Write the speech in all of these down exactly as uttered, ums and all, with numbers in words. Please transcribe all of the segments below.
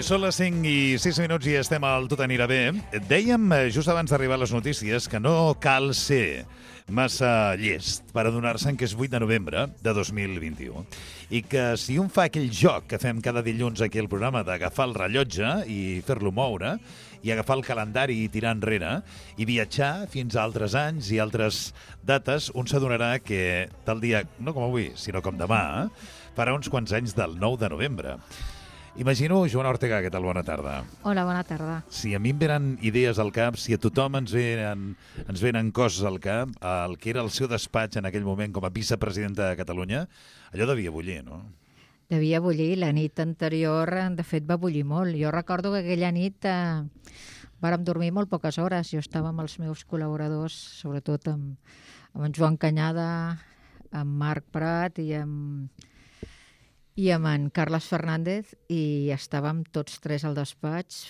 Són les cinc i sis minuts i estem al Tot anirà bé. Dèiem, just abans d'arribar a les notícies, que no cal ser massa llest per adonar-se'n que és vuit de novembre de dos mil vint-i-u i que si un fa aquell joc que fem cada dilluns aquí al programa d'agafar el rellotge i fer-lo moure i agafar el calendari i tirar enrere i viatjar fins a altres anys i altres dates, un s'adonarà que tal dia, no com avui, sinó com demà, farà uns quants anys del nou de novembre. Imagino, Joana Ortega, què tal? Bona tarda. Hola, bona tarda. Si a mi em venen idees al cap, si a tothom ens venen, ens venen coses al cap, el que era el seu despatx en aquell moment com a vicepresidenta de Catalunya, allò devia bullir, no? Devia bullir. La nit anterior, de fet, va bullir molt. Jo recordo que aquella nit eh, vàrem dormir molt poques hores. Jo estava amb els meus col·laboradors, sobretot amb, amb en Joan Canyada, amb Marc Prat i amb... i amb en Carles Fernández, i estàvem tots tres al despatx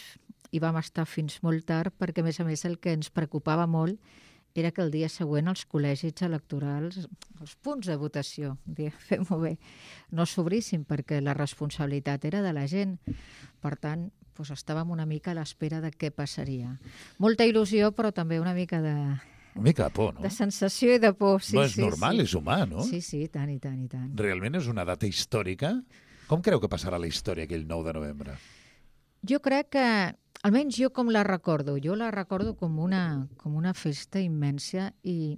i vam estar fins molt tard perquè, a més a més, el que ens preocupava molt era que el dia següent els col·legis electorals, els punts de votació, fem-ho bé, no s'obrissin perquè la responsabilitat era de la gent. Per tant, doncs estàvem una mica a l'espera de què passaria. Molta il·lusió, però també una mica de... Una mica de por, no? De sensació i de por, sí, no és sí. normal, sí. És humà, no? Sí, sí, tant i tant i tant. Realment és una data històrica? Com creu que passarà la història aquell nou de novembre? Jo crec que, almenys jo com la recordo, jo la recordo com una, com una festa immensa i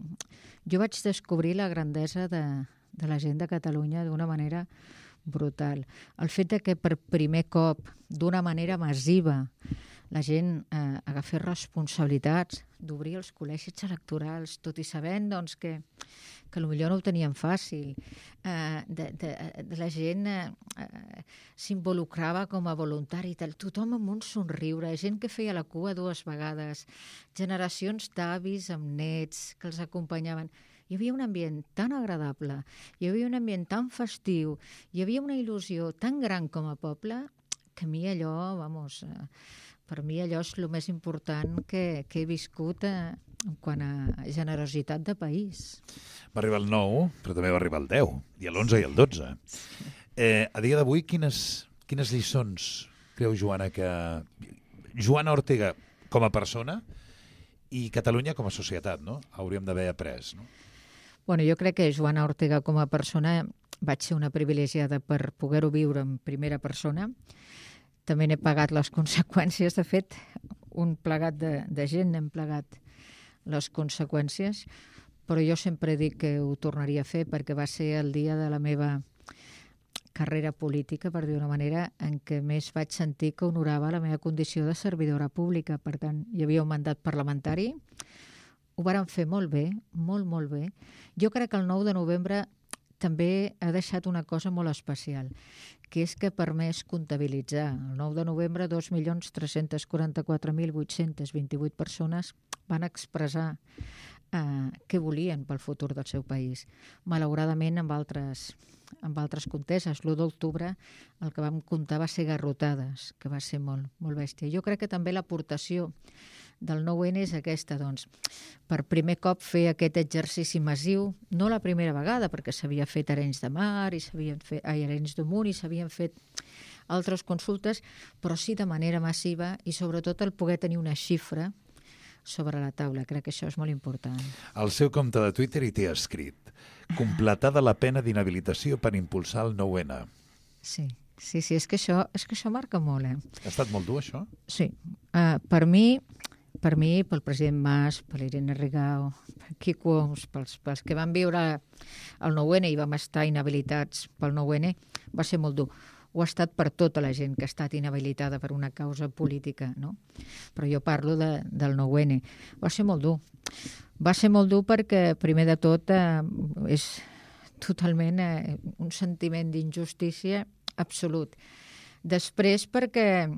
jo vaig descobrir la grandesa de, de la gent de Catalunya d'una manera brutal. El fet de que per primer cop, d'una manera massiva, la gent eh, agafés responsabilitats d'obrir els col·legis electorals, tot i sabent doncs, que, que potser no ho tenien fàcil. Eh, de, de, de la gent eh, s'involucrava com a voluntari, tal. Tothom amb un somriure, gent que feia la cua dues vegades, generacions d'avis amb nets que els acompanyaven. Hi havia un ambient tan agradable, hi havia un ambient tan festiu, hi havia una il·lusió tan gran com a poble, que a mi allò, vamos... Eh, Per mi allò és el més important que, que he viscut eh, en quant a generositat de país. Va arribar el nou, però també va arribar el deu, i l'onze i el dotze. Eh, a dia d'avui, quines, quines lliçons creu, Joana, que Joana Ortega com a persona i Catalunya com a societat, no? Hauríem d'haver après, no? Bueno, jo crec que Joana Ortega com a persona vaig ser una privilegiada per poder-ho viure en primera persona. També n'he pagat les conseqüències. De fet, un plegat de, de gent n'hem plegat les conseqüències, però jo sempre dic que ho tornaria a fer perquè va ser el dia de la meva carrera política, per dir una manera, en què més vaig sentir que honorava la meva condició de servidora pública. Per tant, hi havia un mandat parlamentari, ho vàrem fer molt bé, molt, molt bé. Jo crec que el nou de novembre també ha deixat una cosa molt especial, que és que ha permès comptabilitzar. El nou de novembre, dos milions tres-cents quaranta-quatre mil vuit-cents vint-i-vuit persones van expressar eh, què volien pel futur del seu país. Malauradament, amb altres, amb altres conteses, l'u d'octubre el que vam comptar va ser garrotades, que va ser molt, molt bèstia. Jo crec que també l'aportació del nou ene és aquesta, doncs, per primer cop fer aquest exercici massiu, no la primera vegada, perquè s'havia fet a Arenys de Mar, i s'havien fet a Arenys de Munt, i s'havien fet altres consultes, però sí de manera massiva, i sobretot el poder tenir una xifra sobre la taula. Crec que això és molt important. Al seu compte de Twitter hi té escrit: completada la pena d'inhabilitació per impulsar el nou ene. Sí, sí, sí, és que això, és que això marca molt, eh? Ha estat molt dur, això? Sí. Uh, per mi... Per mi, pel president Mas, per l'Irene Rigau, per Quico Homs, pels, pels que van viure el nou ene i vam estar inhabilitats pel nou ene, va ser molt dur. Ho ha estat per tota la gent que ha estat inhabilitada per una causa política, no? Però jo parlo de, del nou ene. Va ser molt dur. Va ser molt dur perquè, primer de tot, eh, és totalment eh, un sentiment d'injustícia absolut. Després, perquè...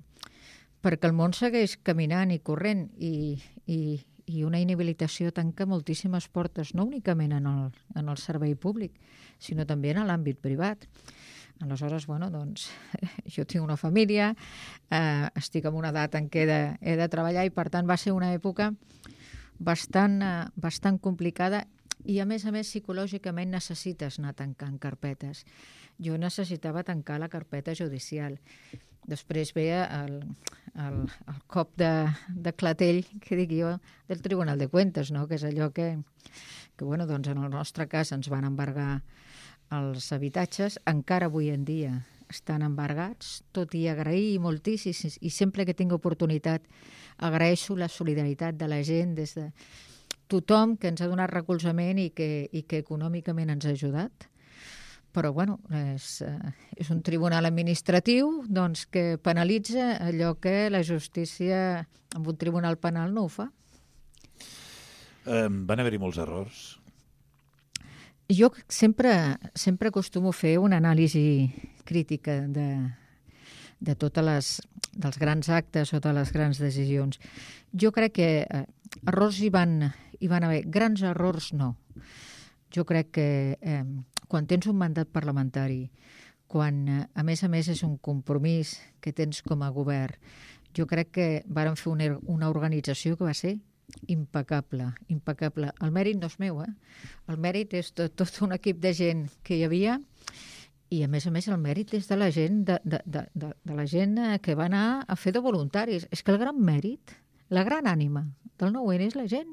perquè el món segueix caminant i corrent i, i, i una inhabilitació tanca moltíssimes portes, no únicament en el, en el servei públic, sinó també en l'àmbit privat. Aleshores, bueno, doncs, jo tinc una família, eh, estic en una edat en què he de, he de treballar i, per tant, va ser una època bastant, eh, bastant complicada i a més a més psicològicament necessites anar tancant carpetes. Jo necessitava tancar la carpeta judicial. Després ve el, el, el cop de, de clatell, que dic jo, del Tribunal de Cuentas, no? Que és allò que, que bueno, doncs en el nostre cas ens van embargar els habitatges, encara avui en dia estan embargats, tot i agrair moltíssim, i sempre que tinc oportunitat agraeixo la solidaritat de la gent, des de tothom que ens ha donat recolzament i que, i que econòmicament ens ha ajudat. Però, bueno, és, és un tribunal administratiu doncs, que penalitza allò que la justícia amb un tribunal penal no ho fa. Um, van haver-hi molts errors? Jo sempre, sempre acostumo a fer una anàlisi crítica de, de totes les, dels grans actes o de les grans decisions. Jo crec que eh, errors hi van, hi van haver, grans errors no. Jo crec que eh, quan tens un mandat parlamentari, quan eh, a més a més és un compromís que tens com a govern, jo crec que vàrem fer una, una organització que va ser impecable, impecable. El mèrit no és meu, eh? El mèrit és tot, tot un equip de gent que hi havia i, a més a més, el mèrit és de la gent, de, de, de, de, de la gent que va anar a fer de voluntaris. És que el gran mèrit, la gran ànima del nou N és la gent.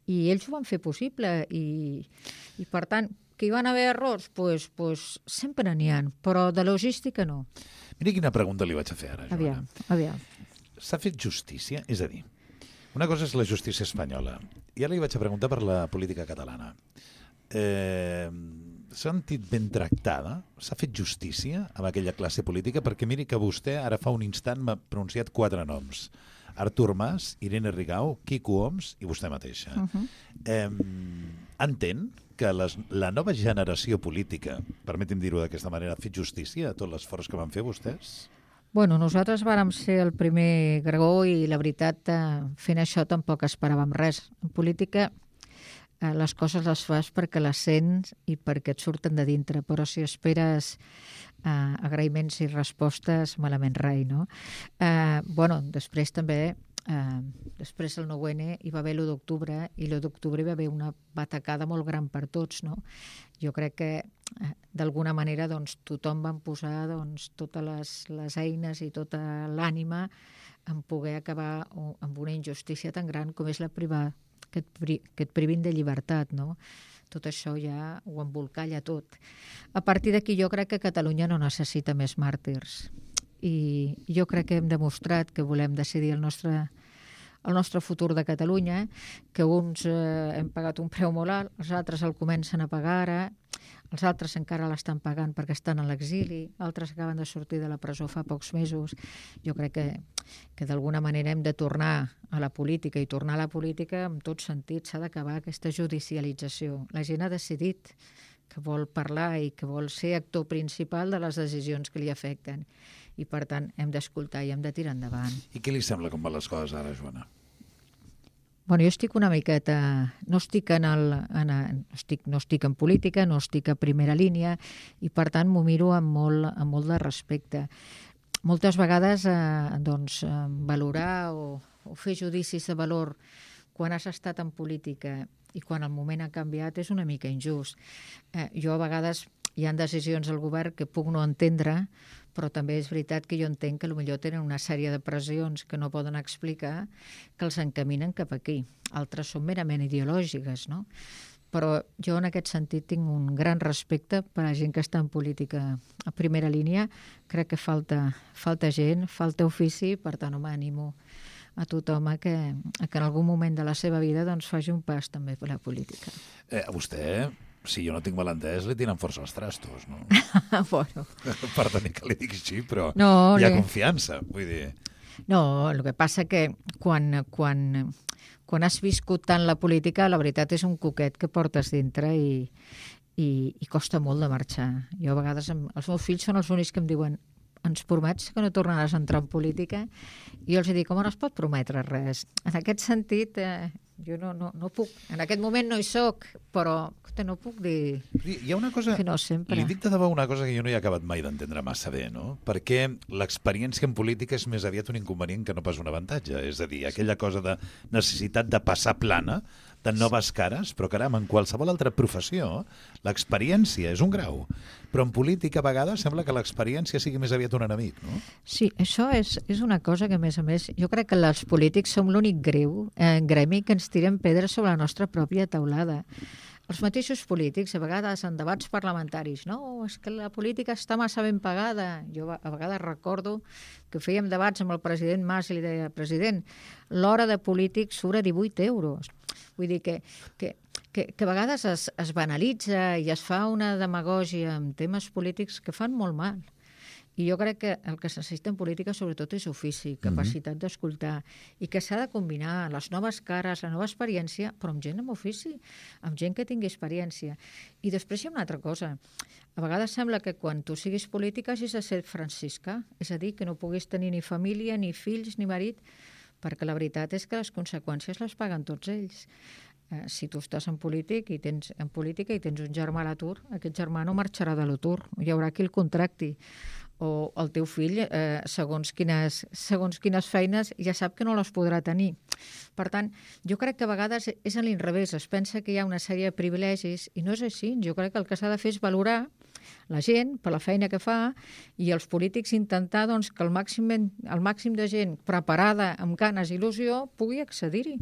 I ells ho van fer possible i, i per tant, que hi van haver errors? Pues, pues, sempre n'hi ha, però de logística no. Mira quina pregunta li vaig a fer ara, Joana. Aviam, aviam. S'ha fet justícia? És a dir, una cosa és la justícia espanyola. I ara li vaig a preguntar per la política catalana. Eh, S'ha sentit ben tractada? S'ha fet justícia amb aquella classe política? Perquè miri que vostè ara fa un instant m'ha pronunciat quatre noms. Artur Mas, Irene Rigau, Quico Homs i vostè mateixa. Uh-huh. eh, entén que les, la nova generació política, permeti'm dir-ho d'aquesta manera, ha fet justícia a tot l'esforç que van fer vostès? Bueno, nosaltres vàrem ser el primer Gregó i la veritat, eh, fent això tampoc esperàvem res. En política eh, les coses les fas perquè les sents i perquè et surten de dintre, però si esperes eh, agraïments i respostes, malament rai, no? Eh, bueno, després també, eh, després del nou N hi va haver l'u d'octubre i l'u d'octubre hi va haver una batacada molt gran per tots, no? Jo crec que eh, d'alguna manera doncs, tothom van posar doncs, totes les, les eines i tota l'ànima en poder acabar amb una injustícia tan gran com és la privar, que et, pri, que et privin de llibertat, no? Tot això ja ho embolcalla tot. A partir d'aquí jo crec que Catalunya no necessita més màrtirs i jo crec que hem demostrat que volem decidir el nostre el nostre futur de Catalunya, que uns eh, hem pagat un preu molt alt, els altres el comencen a pagar ara, els altres encara l'estan pagant perquè estan a l'exili, altres acaben de sortir de la presó fa pocs mesos. Jo crec que, que d'alguna manera hem de tornar a la política, i tornar a la política en tot sentit s'ha d'acabar aquesta judicialització. La gent ha decidit que vol parlar i que vol ser actor principal de les decisions que li afecten. I, per tant, hem d'escoltar i hem de tirar endavant. I què li sembla com van les coses ara, Joana? Bueno, jo estic una miqueta... No estic en, el, en, no estic, no estic en política, no estic a primera línia i, per tant, m'ho miro amb molt, amb molt de respecte. Moltes vegades, eh, doncs, eh, valorar o, o fer judicis de valor quan has estat en política i quan el moment ha canviat és una mica injust. Eh, jo, a vegades, hi ha decisions del govern que puc no entendre, però també és veritat que jo entenc que potser tenen una sèrie de pressions que no poden explicar que els encaminen cap aquí. Altres són merament ideològiques, no? Però jo en aquest sentit tinc un gran respecte per a la gent que està en política a primera línia. Crec que falta, falta gent, falta ofici, per tant, home, animo a tothom a que, a que en algun moment de la seva vida doncs, faci un pas també per la política. Eh, a vostè, si jo no tinc mal entès, li tiren força els trastos, no? Bueno. Perdoni que li dic així, però no, hi ha le... confiança, vull dir... No, el que passa que quan, quan, quan has viscut tant la política, la veritat és un coquet que portes dintre i, i, i costa molt de marxar. Jo a vegades, els meus fills són els únics que em diuen ens promets que no tornaràs a entrar en política? I jo els dic, com no es pot prometre res? En aquest sentit, eh, jo no, no, no puc. En aquest moment no hi soc, però no puc dir hi ha una cosa, que no sempre. Li dic de debò una cosa que jo no he acabat mai d'entendre massa bé, no? Perquè l'experiència en política és més aviat un inconvenient que no pas un avantatge. És a dir, aquella cosa de necessitat de passar plana de noves cares, però caram, en qualsevol altra professió l'experiència és un grau, però en política a vegades sembla que l'experiència sigui més aviat un enemic, no? Sí, això és, és una cosa que, a més a més, jo crec que els polítics som l'únic greu, eh, gremi que ens tirem pedres sobre la nostra pròpia teulada. Els mateixos polítics, a vegades en debats parlamentaris, no, és que la política està massa ben pagada. Jo a vegades recordo que fèiem debats amb el president Mas i li deia, president, l'hora de polític surt a divuit euros. Vull dir que, que, que, que a vegades es, es banalitza i es fa una demagògia amb temes polítics que fan molt mal. I jo crec que el que es necessita en política sobretot és ofici, capacitat mm-hmm. d'escoltar, i que s'ha de combinar les noves cares, la nova experiència, però amb gent amb ofici, amb gent que tingui experiència. I després hi ha una altra cosa. A vegades sembla que quan tu siguis política hagis de ser franciscà, és a dir, que no puguis tenir ni família, ni fills, ni marit, perquè la veritat és que les conseqüències les paguen tots ells. Eh, si tu estàs en, polític i tens, en política i tens un germà a l'atur, aquest germà no marxarà de l'atur, hi haurà qui el contracti. O el teu fill, eh, segons, quines, segons quines feines, ja sap que no les podrà tenir. Per tant, jo crec que a vegades és a l'inrevés, es pensa que hi ha una sèrie de privilegis i no és així. Jo crec que el que s'ha de fer és valorar la gent per la feina que fa i els polítics intentar doncs, que el màxim, el màxim de gent preparada, amb ganes i il·lusió, pugui accedir-hi.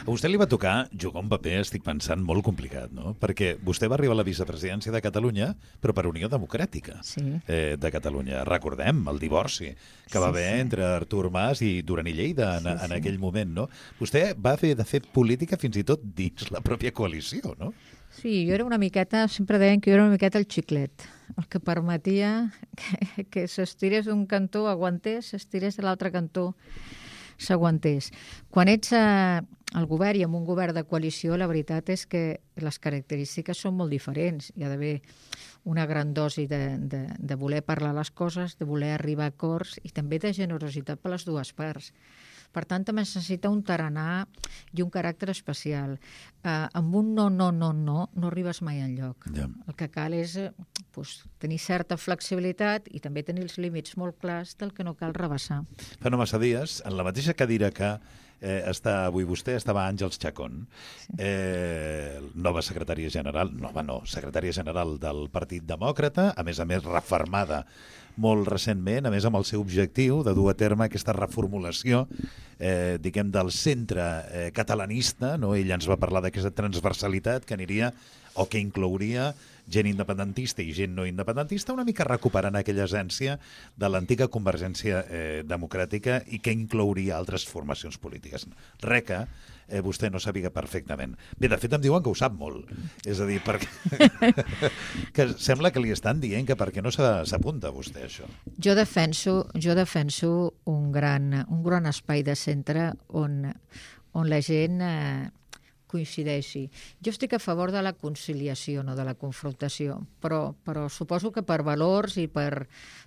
A vostè li va tocar jugar un paper, estic pensant, molt complicat, no? Perquè vostè va arribar a la vicepresidència de Catalunya, però per Unió Democràtica sí. eh, de Catalunya. Recordem el divorci que va sí, haver sí. entre Artur Mas i Duran i Lleida en, sí, sí. en aquell moment, no? Vostè va haver de fer política fins i tot dins la pròpia coalició, no? Sí, jo era una miqueta, sempre deien que jo era una miqueta el xiclet, el que permetia que, que s'estirés d'un cantó, aguantés, s'estirés de l'altre cantó, s'aguantés. Quan ets a, al govern i en un govern de coalició, la veritat és que les característiques són molt diferents. Hi ha d'haver una gran dosi de, de, de voler parlar les coses, de voler arribar a acords i també de generositat per les dues parts. Per tant, també es necessita un tarannà i un caràcter especial. Uh, amb un no, no, no, no, no arribes mai enlloc. Yeah. El que cal és uh, pues, tenir certa flexibilitat i també tenir els límits molt clars del que no cal rebassar. Fa no massa dies, en la mateixa cadira que eh, està avui vostè, estava Àngels Chacón, sí. eh, nova secretària general, nova no, secretària general del Partit Demòcrata, a més a més refermada molt recentment, a més amb el seu objectiu de dur a terme aquesta reformulació eh, diguem, del centre eh, catalanista, no? Ell ens va parlar d'aquesta transversalitat que aniria o que inclouria gent independentista i gent no independentista, una mica recuperant aquella essència de l'antiga Convergència eh, Democràtica i que inclouria altres formacions polítiques. Re que eh, vostè no sàpiga perfectament. Bé, de fet em diuen que ho sap molt. És a dir, perquè que sembla que li estan dient que perquè no s'apunta vostè això. Jo defenso, jo defenso un gran, un gran espai de centre on, on la gent eh, coincideixi. Jo estic a favor de la conciliació, no de la confrontació, però, però suposo que per valors i per,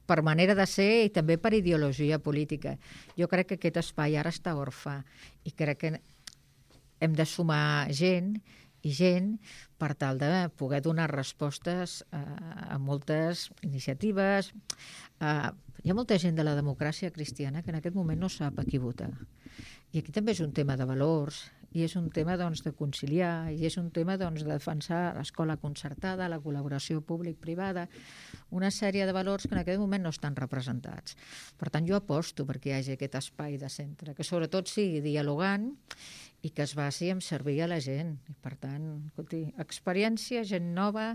per manera de ser i també per ideologia política. Jo crec que aquest espai ara està orfà i crec que hem de sumar gent i gent per tal de poder donar respostes a, a moltes iniciatives. Uh, hi ha molta gent de la democràcia cristiana que en aquest moment no sap a qui votar. I aquí també és un tema de valors, i és un tema doncs, de conciliar, i és un tema doncs, de defensar l'escola concertada, la col·laboració públic-privada, una sèrie de valors que en aquest moment no estan representats. Per tant, jo aposto perquè hi hagi aquest espai de centre, que sobretot sigui dialogant i que es basi en servir a la gent. I per tant, escolti, experiència, gent nova.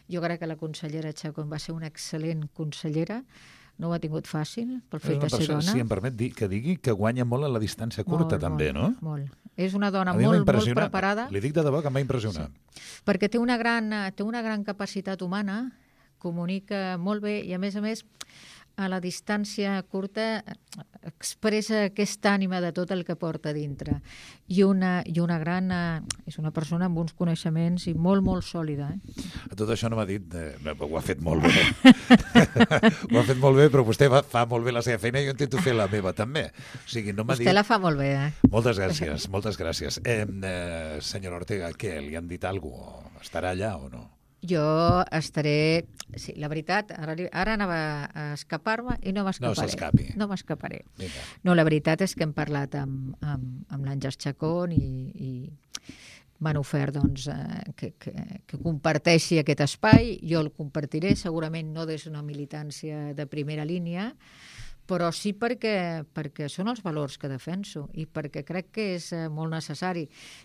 Jo crec que la consellera Chacón va ser una excel·lent consellera, no ho ha tingut fàcil pel fet de ser dona. Si em permet dir, que digui que guanya molt en la distància curta, molt, també, molt, no? Molt. És una dona molt, molt preparada. Li dic de debò que em va impressionar. Sí. Perquè té una, gran, té una gran capacitat humana, comunica molt bé i, a més a més, a la distància curta expressa aquesta ànima de tot el que porta dintre. I una, i una gran... És una persona amb uns coneixements i molt, molt sòlida. Eh? A tot això no m'ha dit... Eh, no, ho ha fet molt bé. Ho ha fet molt bé, però vostè va, fa molt bé la seva feina i jo intento fer la meva també. O sigui, no m'ha vostè dit... la fa molt bé, eh? Moltes gràcies, moltes gràcies. Eh, eh, senyora Ortega, què? Li han dit alguna cosa? Estarà allà o no? Jo estaré... Sí, la veritat, ara, ara anava a escapar-me i no m'escaparé. No s'escapi. No m'escaparé. No, la veritat és que hem parlat amb, amb, amb l'Àngels Chacón i, i m'han ofert doncs, eh, que, que, que comparteixi aquest espai. Jo el compartiré, segurament no des d'una militància de primera línia, però sí perquè, perquè són els valors que defenso i perquè crec que és eh, molt necessari.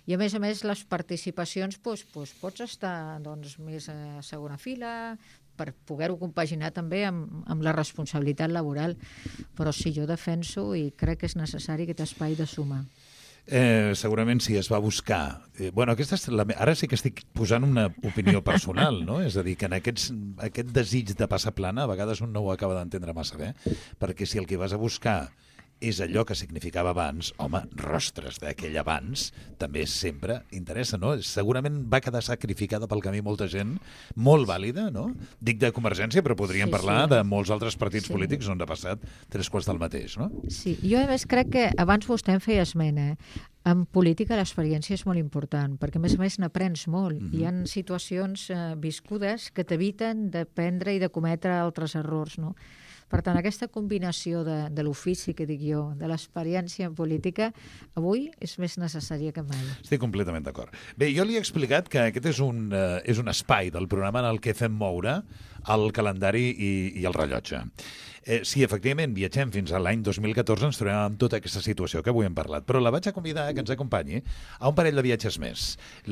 I a més a més les participacions doncs, doncs, pots estar doncs, més a segona fila per poder-ho compaginar també amb, amb la responsabilitat laboral, però sí, jo defenso i crec que és necessari aquest espai de suma. Eh, segurament sí, es va buscar. Eh, bueno, aquesta és la... Ara sí que estic posant una opinió personal, no? És a dir, que en aquests, aquest desig de passar plana, a vegades un no ho acaba d'entendre massa bé, perquè si el que vas a buscar és allò que significava abans, home, rostres d'aquell abans, també sempre interessa, no? Segurament va quedar sacrificada pel camí molta gent, molt vàlida, no? Dic de Convergència, però podríem sí, parlar sí. de molts altres partits sí. polítics on ha passat tres quarts del mateix, no? Sí, jo a més crec que abans vostè em feia esmena, en política l'experiència és molt important, perquè a més a més n'aprens molt. Mm-hmm. Hi ha situacions eh, viscudes que t'eviten de prendre i de cometre altres errors, no? Per tant, aquesta combinació de, de l'ofici, que dic jo, de l'experiència en política, avui és més necessària que mai. Estic completament d'acord. Bé, jo li he explicat que aquest és un, uh, és un espai del programa en el que fem moure el calendari i, i el rellotge. Eh, si efectivament viatgem fins a l'any dos mil catorze ens trobem amb tota aquesta situació que avui hem parlat, però la vaig a convidar que ens acompanyi a un parell de viatges més.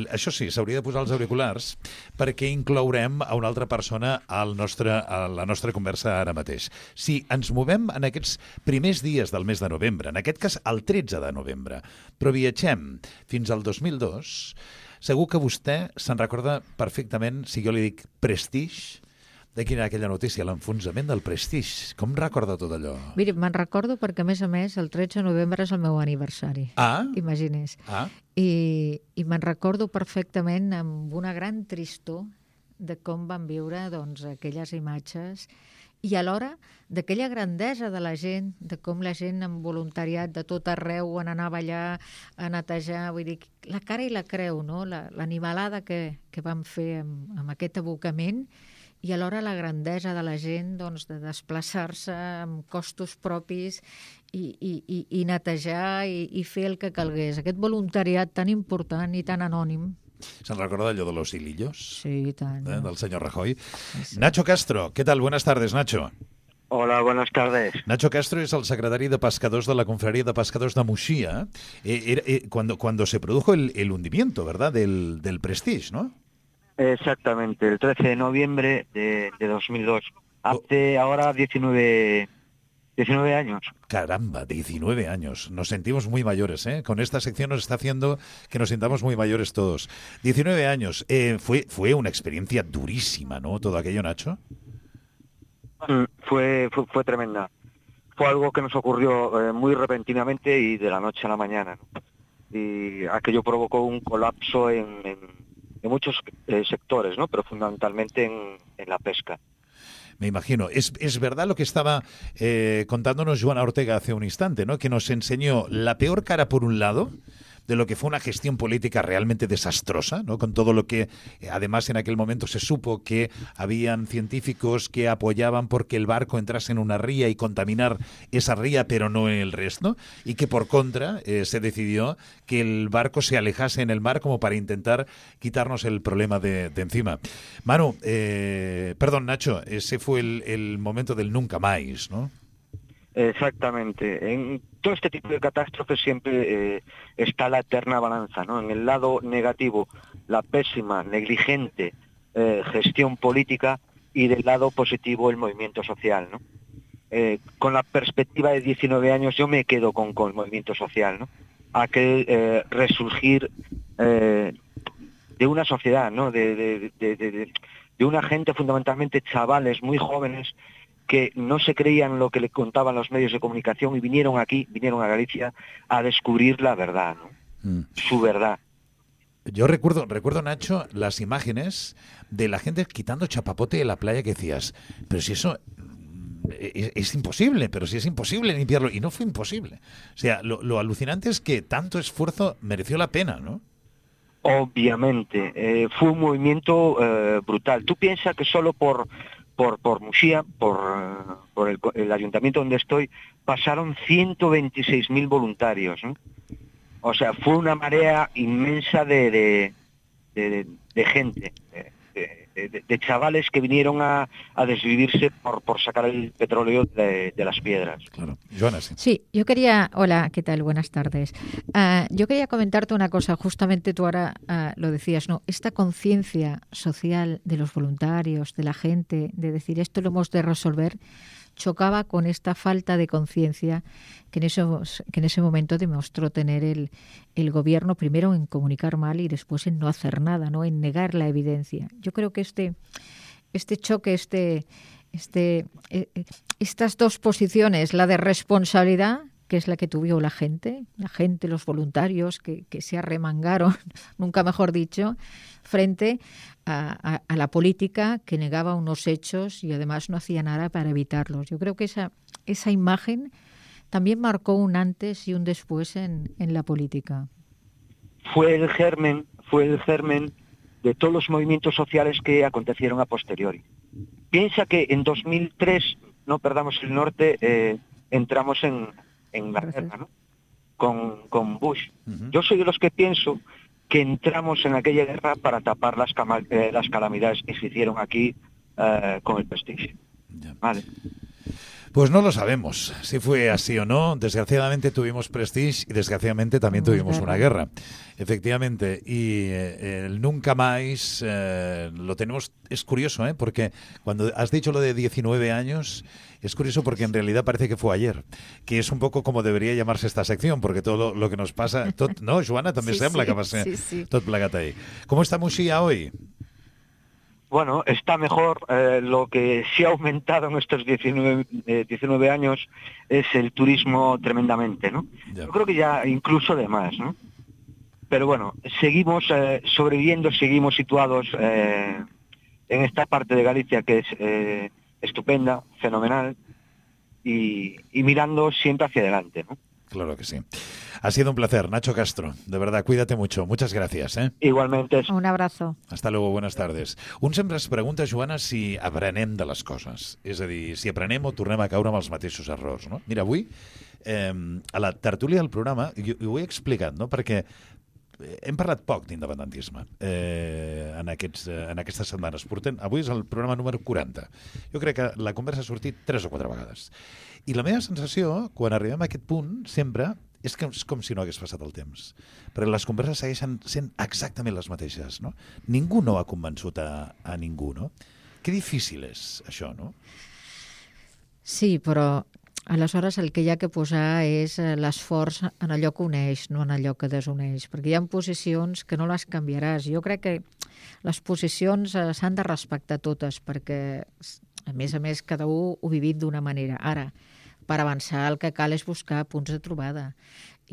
Això sí, s'hauria de posar els auriculars perquè inclourem a una altra persona al nostre, a la nostra conversa ara mateix. Si ens movem en aquests primers dies del mes de novembre, en aquest cas el tretze de novembre, però viatgem fins al dos mil dos, segur que vostè se'n recorda perfectament si jo li dic Prestige. De quina era aquella notícia, l'enfonsament del Prestige. Com recorda tot allò? Miri, me'n recordo perquè, a més a més, el tretze de novembre és el meu aniversari. Ah? Imagines. Ah? I, i me'n recordo perfectament amb una gran tristor de com van viure doncs, aquelles imatges i alhora d'aquella grandesa de la gent, de com la gent amb voluntariat de tot arreu on anava allà a netejar, vull dir, la cara i la creu, no? L'animalada que, que vam fer amb, amb aquest abocament i alhora la grandesa de la gent doncs, de desplaçar-se amb costos propis i, i, i, i netejar i, i fer el que calgués. Aquest voluntariat tan important i tan anònim. ¿Se'n recorda allò de los hilillos? Sí, i tant. ¿Eh? Del señor Rajoy. Sí, sí. Nacho Castro, ¿qué tal? Buenas tardes, Nacho. Hola, buenas tardes. Nacho Castro es el secretario de Pescadores de la Confraria de Pescadores de Muxía. Eh, era, eh, cuando, cuando se produjo el, el hundimiento, ¿verdad?, del, del Prestige, ¿no? Exactamente, el trece de noviembre de, de dos mil dos. Hace oh. ahora diecinueve, diecinueve años. Caramba, diecinueve años. Nos sentimos muy mayores, ¿eh? Con esta sección nos está haciendo que nos sintamos muy mayores todos. diecinueve años. Eh, fue, fue una experiencia durísima, ¿no? Todo aquello, Nacho. Mm, fue, fue, fue tremenda. Fue algo que nos ocurrió eh, muy repentinamente y de la noche a la mañana, ¿no? Y aquello provocó un colapso en... en en muchos eh, sectores, ¿no? Pero fundamentalmente en, en la pesca. Me imagino. Es, es verdad lo que estaba eh, contándonos Joana Ortega hace un instante, ¿no? Que nos enseñó la peor cara por un lado de lo que fue una gestión política realmente desastrosa, ¿no? Con todo lo que, además, en aquel momento se supo que habían científicos que apoyaban porque el barco entrase en una ría y contaminar esa ría, pero no el resto, y que por contra eh, se decidió que el barco se alejase en el mar como para intentar quitarnos el problema de, de encima. Manu, eh, perdón, Nacho, ese fue el, el momento del nunca más, ¿no? Exactamente. En todo este tipo de catástrofes siempre eh, está la eterna balanza, ¿no? En el lado negativo, la pésima, negligente eh, gestión política y del lado positivo el movimiento social, ¿no? Eh, con la perspectiva de diecinueve años yo me quedo con, con el movimiento social, ¿no? Aquel eh, resurgir eh, de una sociedad, ¿no? De, de, de, de, de una gente, fundamentalmente chavales muy jóvenes, que no se creían lo que le contaban los medios de comunicación y vinieron aquí, vinieron a Galicia a descubrir la verdad, ¿no? Mm. Su verdad. Yo recuerdo, recuerdo, Nacho, las imágenes de la gente quitando chapapote de la playa que decías, pero si eso es, es imposible, pero si es imposible limpiarlo, y no fue imposible. O sea, lo, lo alucinante es que tanto esfuerzo mereció la pena, ¿no? Obviamente, eh, fue un movimiento eh, brutal. Tú piensas que solo por... Por, por Muxía, por, por el, el ayuntamiento donde estoy, pasaron ciento veintiséis mil voluntarios, ¿no? O sea, fue una marea inmensa de, de, de, de gente, de, de, de chavales que vinieron a, a desvivirse por, por sacar el petróleo de, de las piedras. Claro. Joana, sí. Sí, yo quería... Hola, ¿qué tal? Buenas tardes. Uh, yo quería comentarte una cosa, justamente tú ahora uh, lo decías, ¿no? Esta conciencia social de los voluntarios, de la gente, de decir esto lo hemos de resolver, chocaba con esta falta de conciencia que en esos, que en ese momento demostró tener el, el gobierno, primero en comunicar mal y después en no hacer nada, ¿no? En negar la evidencia. Yo creo que este, este choque, este, este, eh, estas dos posiciones, la de responsabilidad, que es la que tuvo la gente, la gente, los voluntarios que, que se arremangaron, nunca mejor dicho, frente a, a, a la política que negaba unos hechos y además no hacía nada para evitarlos. Yo creo que esa, esa imagen también marcó un antes y un después en, en la política. Fue el germen, fue el germen de todos los movimientos sociales que acontecieron a posteriori. Piensa que en dos mil tres, no perdamos el norte, eh, entramos en, en la guerra, ¿no? Con, con Bush. Uh-huh. Yo soy de los que pienso que entramos en aquella guerra para tapar las, cama, eh, las calamidades que se hicieron aquí eh, con el Prestige. Yeah. Vale. Pues no lo sabemos si fue así o no. Desgraciadamente tuvimos Prestige y desgraciadamente también tuvimos guerra. una guerra. Efectivamente. Y eh, el nunca más eh, lo tenemos. Es curioso, ¿eh? Porque cuando has dicho lo de diecinueve años, es curioso porque en realidad parece que fue ayer. Que es un poco como debería llamarse esta sección, porque todo lo que nos pasa... Tot, no, Joana, també sí, sembla sí, que va ser sí, sí. tot plegat ahí. ¿Cómo está Muxía hoy? Bueno, está mejor. Eh, lo que sí ha aumentado en estos diecinueve, eh, diecinueve años es el turismo tremendamente, ¿no? Ya. Yo creo que ya incluso de más, ¿no? Pero bueno, seguimos eh, sobreviviendo, seguimos situados eh, en esta parte de Galicia que es eh, estupenda, fenomenal, y, y mirando siempre hacia adelante, ¿no? Claro que sí. Ha sido un placer, Nacho Castro. De verdad, cuídate mucho. Muchas gracias. ¿eh? Igualmente. Un abrazo. Hasta luego, buenas tardes. Un sempre es pregunta, Joana, si aprenem de les coses. És a dir, si aprenem o tornem a caure amb els mateixos errors. No? Mira, avui, eh, a la tertúlia del programa, jo, jo ho he explicat, no? Perquè hem parlat poc d'independentisme eh, en, aquests, eh, en aquestes setmanes. Portem, avui és el programa número quaranta. Jo crec que la conversa ha sortit tres o quatre vegades. I la meva sensació, quan arribem a aquest punt, sempre, és que és com si no hagués passat el temps. Perquè les converses segueixen sent exactament les mateixes, no? Ningú no ha convençut a, a ningú, no? Que difícil és això, no? Sí, però aleshores el que hi ha que posar és l'esforç en allò que uneix, no en allò que desuneix, perquè hi ha posicions que no les canviaràs. Jo crec que les posicions s'han de respectar totes, perquè, a més a més, cada un ho vivit d'una manera. Ara, per avançar el que cal és buscar punts de trobada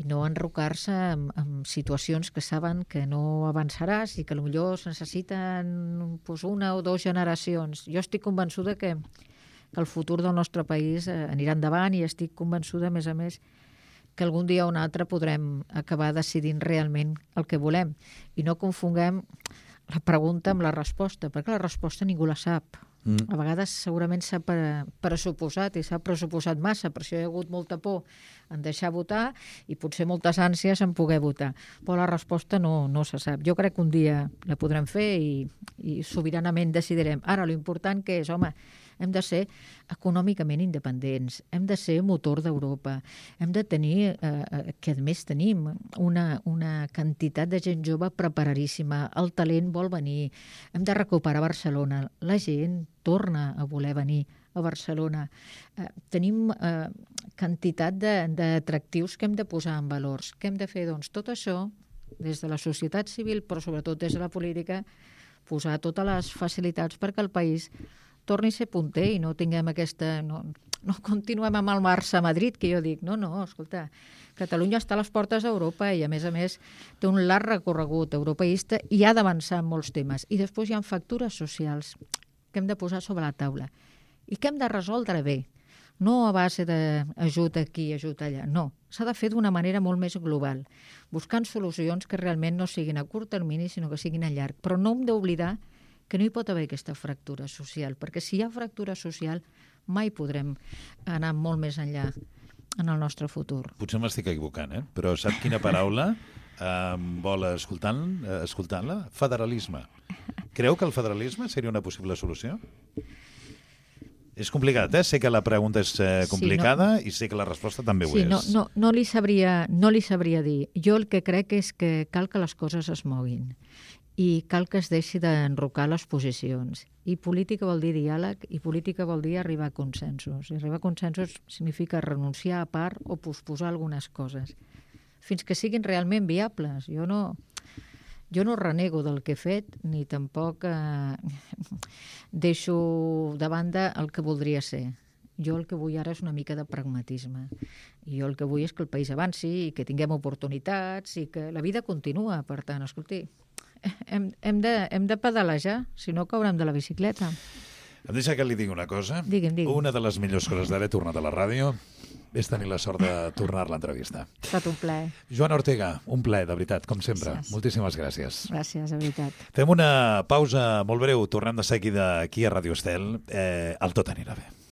i no enrocar-se en, en situacions que saben que no avançaràs i que potser es necessiten pues, una o dues generacions. Jo estic convençuda que que el futur del nostre país eh, anirà endavant i estic convençuda, a més a més, que algun dia o un altre podrem acabar decidint realment el que volem. I no confonguem la pregunta amb la resposta, perquè la resposta ningú la sap. Mm. A vegades segurament s'ha pressuposat i s'ha pressuposat massa, per això hi ha hagut molta por en deixar votar i potser moltes ànsies en poder votar. Però la resposta no, no se sap. Jo crec que un dia la podrem fer i, i sobiranament decidirem. Ara, l'important que és, home, hem de ser econòmicament independents, hem de ser motor d'Europa, hem de tenir, eh, que a més tenim, una, una quantitat de gent jove preparadíssima, el talent vol venir, hem de recuperar Barcelona, la gent torna a voler venir a Barcelona. Eh, tenim eh, quantitat d'atractius que hem de posar en valors. Què hem de fer? Doncs tot això, des de la societat civil, però sobretot des de la política, posar totes les facilitats perquè el país torni a ser punter i no tinguem aquesta... No, no continuem amb el Barça a Madrid, que jo dic, no, no, escolta, Catalunya està a les portes d'Europa i, a més a més, té un llarg recorregut europeista i ha d'avançar en molts temes. I després hi ha factures socials que hem de posar sobre la taula i que hem de resoldre bé. No a base d'ajut aquí, ajut allà, no. S'ha de fer d'una manera molt més global, buscant solucions que realment no siguin a curt termini, sinó que siguin a llarg. Però no hem d'oblidar que no hi pot haver aquesta fractura social, perquè si hi ha fractura social mai podrem anar molt més enllà en el nostre futur. Potser m'estic equivocant, eh? Però sap quina paraula eh, vol escoltant, eh, escoltant-la? Federalisme. Creu que el federalisme seria una possible solució? És complicat, eh? Sé que la pregunta és eh, complicada sí, no... i sé que la resposta també ho sí, és. No, no, no, li sabria, no li sabria dir. Jo el que crec és que cal que les coses es moguin i cal que es deixi d'enrocar les posicions. I política vol dir diàleg i política vol dir arribar a consensos. I arribar a consensos significa renunciar a part o posposar algunes coses fins que siguin realment viables. Jo no... Jo no renego del que he fet, ni tampoc eh, deixo de banda el que voldria ser. Jo el que vull ara és una mica de pragmatisme. I jo el que vull és que el país avanci i que tinguem oportunitats i que la vida continua. Per tant, escolti, hem, hem, de, hem de pedalejar, si no caurem de la bicicleta. Em deixa que li digui una cosa. Digui'm, digui'm. Una de les millors coses d'haver tornat a la ràdio és tenir la sort de tornar-la a entrevistar. Ha estat un plaer. Joana Ortega, un plaer, de veritat, com sempre. Gràcies. Moltíssimes gràcies. Gràcies, de veritat. Fem una pausa molt breu, tornem de seguida aquí a Ràdio Estel. Eh, el tot anirà bé.